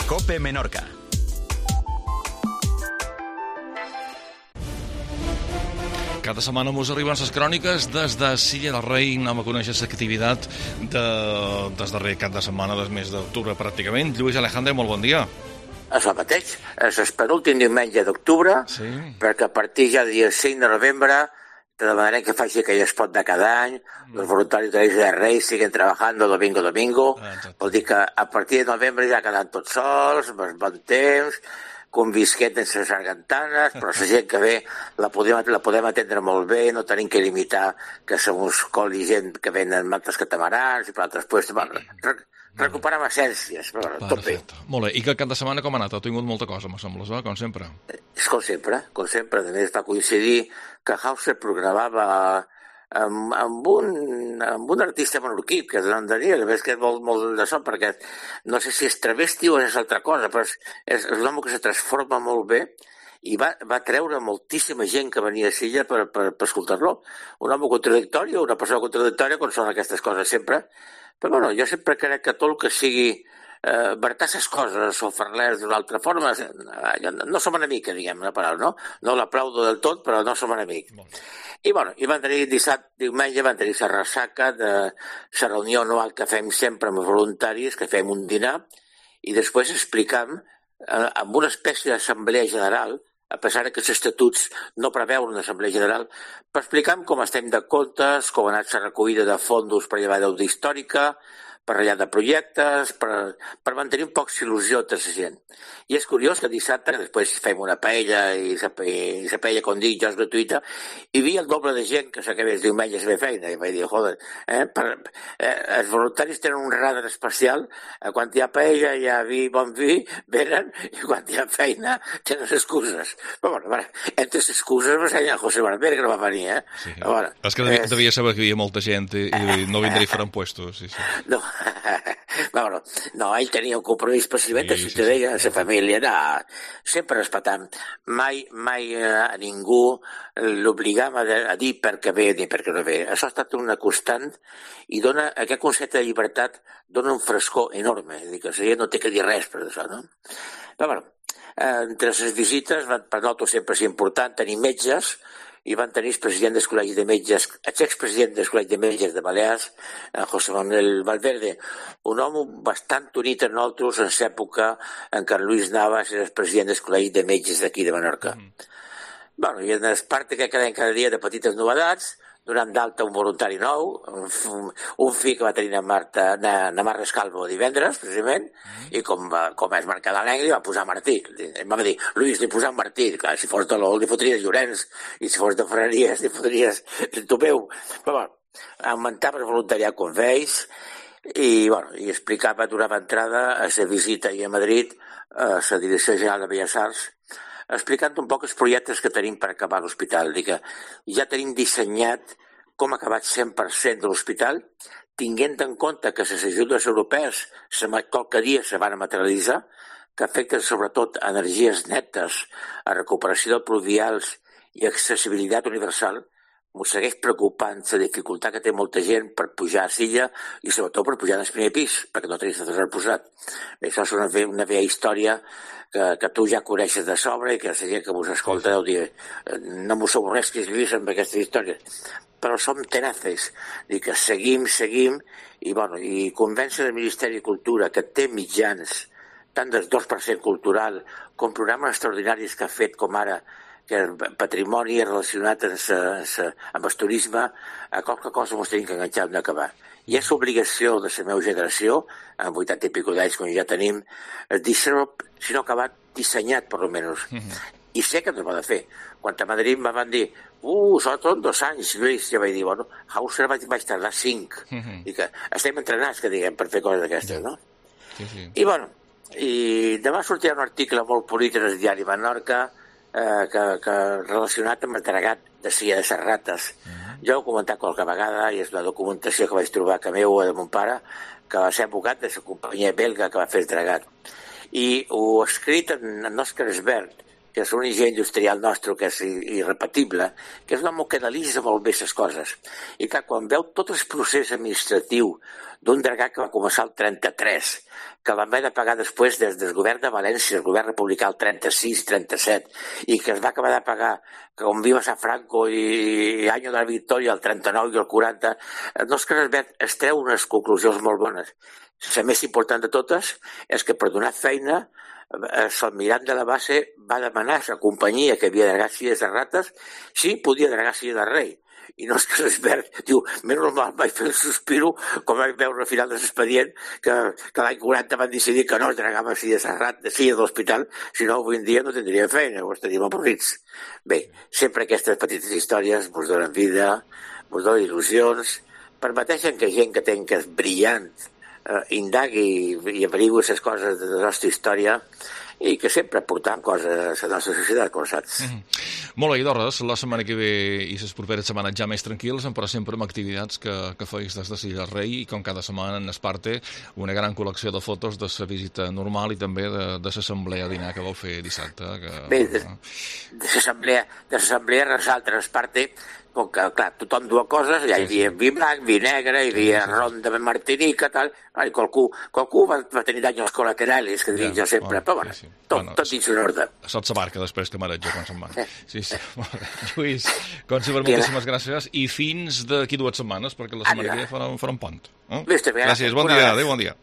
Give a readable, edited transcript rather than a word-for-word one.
COPE Menorca. Cada setmana mos arriben les cròniques des de Silla del Rei. Anem a conèixer l'activitat des darrer cap de setmana del mes d'octubre pràcticament. Lluís Alejandre, molt bon dia. És el mateix, és el penúltim diumenge d'octubre, sí. Perquè a partir ja del dia 5 de novembre te demanarem que faci aquell espot de cada any, els voluntaris de l'Eix de Reis siguen treballant domingo. Vol dir que a partir de novembre ja quedan tots sols, bon temps, convisquet en les sargantanes, però la gent que ve la podem atendre molt bé, no tenim que limitar que se mos coli gent que venen altres catamarans i per altres puestos. Recuperem essències, però tot bé. Molt bé, i que el cap de setmana com ha anat? Ha tingut molta cosa, me sembla, com sempre. És com sempre. A més, va coincidir que Hauser programava amb un artista menorquí, que és el Daniel, a més que és molt d'això, perquè no sé si és travesti o és altra cosa, però és un home que se transforma molt bé i va treure moltíssima gent que venia a Silla per escoltar-lo. Un home contradictori, una persona contradictòria, com són aquestes coses sempre. Però bueno, jo sempre crec que tot el que sigui vertar les coses o fer-les d'una altra forma, no som enemics, diguem una paraula, no? No l'aplaudo del tot, però no som enemics. I bueno, van tenir diumenge van tenir la ressaca de la reunió anual que fem sempre amb els voluntaris, que fem un dinar, i després explicam amb una espècie d'assemblea general, a pesar que els estatuts no preveuen una assemblea general, per explicar com estem de comptes, com ha anat la recollida de fons per llevar deuda històrica, per ratllar de projectes, per mantenir un poc il·lusió entre la gent. I és curiós que dissabte, després fem una paella, i la paella, com dic jo, és gratuïta, hi havia el doble de gent que s'acabés diumenge a fer feina. I vaig dir, joder, els voluntaris tenen un radar especial, quan hi ha paella, hi ha bon vi, venen, i quan hi ha feina, tenen excuses. Però bueno, entre les excuses va ser José Barber, que no va venir, Sí. És que devia saber que hi havia molta gent i no vindria a fer puestos. Sí. No. No, ell tenia un compromís precisament a ciutadania, a la família, sempre respetant. Mai a ningú l'obligam a dir per què ve ni per què no ve. Això ha estat una constant i dona, aquest concepte de llibertat dona un frescor enorme. És a dir, que la gent no té que dir res per això, no? Però bueno, entre les visites, per nosaltres sempre és important tenir metges, i van tenir el president del Col·legi de Metges, l'expresident del Col·legi de Metges de Balears, José Manuel Valverde, un home bastant unit amb nosaltres en l'època en què Luis Navas era el president del Col·legi de Metges d'aquí de Menorca. Bueno, i en el part que quedem cada dia de petites novedats, donant d'alta un voluntari nou, un fill que va tenir na Mar Rescalvo divendres, precisament, i com és marcada l'Engri, va posar Martí. Em va dir, Luis, li posam Martí. Clar, si fos de l'Ol, li fotries Llorenç, i si fos de Ferreries, li fotries Topeu. Però bueno, augmentava el voluntariat com veus, i explicava, donava entrada a la visita a Madrid, a la Direcció General de Belles Arts, explicant un poc els projectes que tenim per acabar l'hospital. Que ja tenim dissenyat com ha acabat 100% de l'hospital, tinguent en compte que les ajudes europees qualque dia se van a materialitzar, que afecten sobretot energies netes, a recuperació de pluvials i accessibilitat universal. M'ho segueix preocupant la dificultat que té molta gent per pujar a Silla i sobretot per pujar al primer pis, perquè no tenies ascensor posat. Això és una vella història que tu ja coneixes de sobre i que la gent que vos escolta deu dir no m'ho s'avorreix que escrivís amb aquestes històries. Però som tenaces, que seguim i convèncer el Ministeri de Cultura que té mitjans tant del 2% cultural com programes extraordinaris que ha fet com ara que el patrimoni relacionat amb el turisme, a qualque cosa ens tenim que enganxar en acabar. I és obligació de la meva generació, amb 80 i pico d'anys com ja tenim, dir-ho, si no acabat, dissenyat, per almenys. I sé que no es va de fer. Quan a Madrid me van dir, són 2 anys, Lluís, ja vaig dir, Hauser vaig tardar 5. I que estem entrenats, que diguem, per fer coses d'aquestes, no? I demà sortirà un article molt polític al diari Menorca, que relacionat amb el dragat de Silla de les Rates. Jo ho he comentat qualque vegada i és la documentació que vaig trobar que meu de mon pare, que va ser advocat de la companyia belga que va fer el dragat. I ho ha escrit en Òscar Esbert, que és un enginyer industrial nostre que és irrepetible, que és un home que analitza molt bé les coses. I clar, quan veu tot el procés administratiu d'un dragà que va començar el 33, que vam haver de pagar després des del govern de València, el govern republicà el 36-37, i que es va acabar de pagar com viva San Franco i any de la Victòria, el 39 i el 40, no és que es treu unes conclusions molt bones. La més important de totes és que per donar feina l'almirant de la base va demanar a la companyia que havia dragat silles de rates si podia dragar silla de rei. I no és que l'Esbert diu, més normal vaig fer el sospiro, com vaig veure al final de l'expedient, que l'any 40 van decidir que no es dragava silla de l'hospital, si no avui en dia no tindríem feina, o estaríem avorrits. Bé, sempre aquestes petites històries ens donen vida, ens donen il·lusions, permeteixen que gent que té que és brillant indagui i averigui les coses de la nostra història i que sempre portam coses a la nostra societat, com saps. Molt bé, Idorres, la setmana que ve i les properes setmanes ja més tranquils, però sempre amb activitats que feis des de Silla del Rei i com cada setmana en Esparte una gran col·lecció de fotos de la visita normal i també de l'assemblea a dinar que vau fer dissabte. Bé, de l'assemblea resalta Esparte, com que, clar, tothom duia coses, ja hi havia vi blanc, vi negre, hi havia ron de Martinica, tal, i qualcú va tenir danys col·laterals, que dic jo sempre, però bueno, tot dins un ordre. Sot la barca després que mareja quan se'n va. Sí. Lluís, com sempre, moltíssimes gràcies i fins d'aquí 2 setmanes, perquè la setmana que ve farà un pont. Gràcies, bon dia, adéu, bon dia.